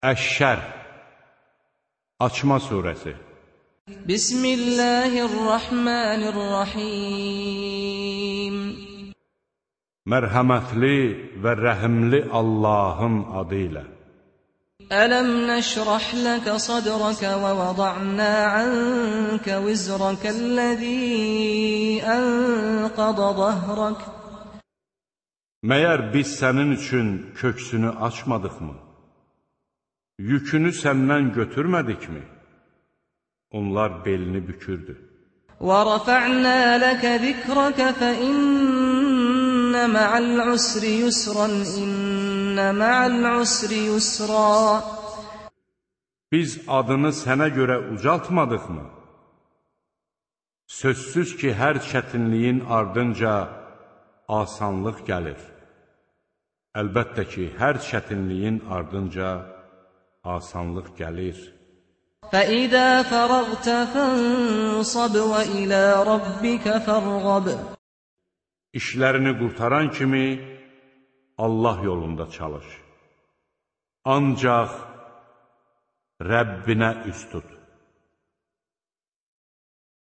Əş-Şərh Açma surəsi. Bismillahirrahmanirrahim. Mərhəmətli və rəhimli Allahın adı ilə. Ələm nəşrah ləkə sadrəkə və vəda'nə ənkə vizrəkəl-ləzî ənqədə zəhrək. Məyər biz sənin üçün köksünü açmadıqmı? Yükünü səndən götürmədikmi? Onlar belini bükürdü. وَرَفَعْنَا لَكَ ذِكْرَكَ فَإِنَّ مَعَ الْعُسْرِ يُسْرًا إِنَّ مَعَ الْعُسْرِ يُسْرًا. Biz adını sənə görə ucaltmadıq mı? Sözsüz ki, hər çətinliyin ardınca asanlıq gəlir. Əlbəttə ki, hər çətinliyin ardınca asanlıq gəlir. فَإِذَا فَرَغْتَ فَانصَبْ وَإِلَى رَبِّكَ فَارْغَبْ. İşlərini qurtaran kimi Allah yolunda çalış. Ancaq Rəbbinə üst tut.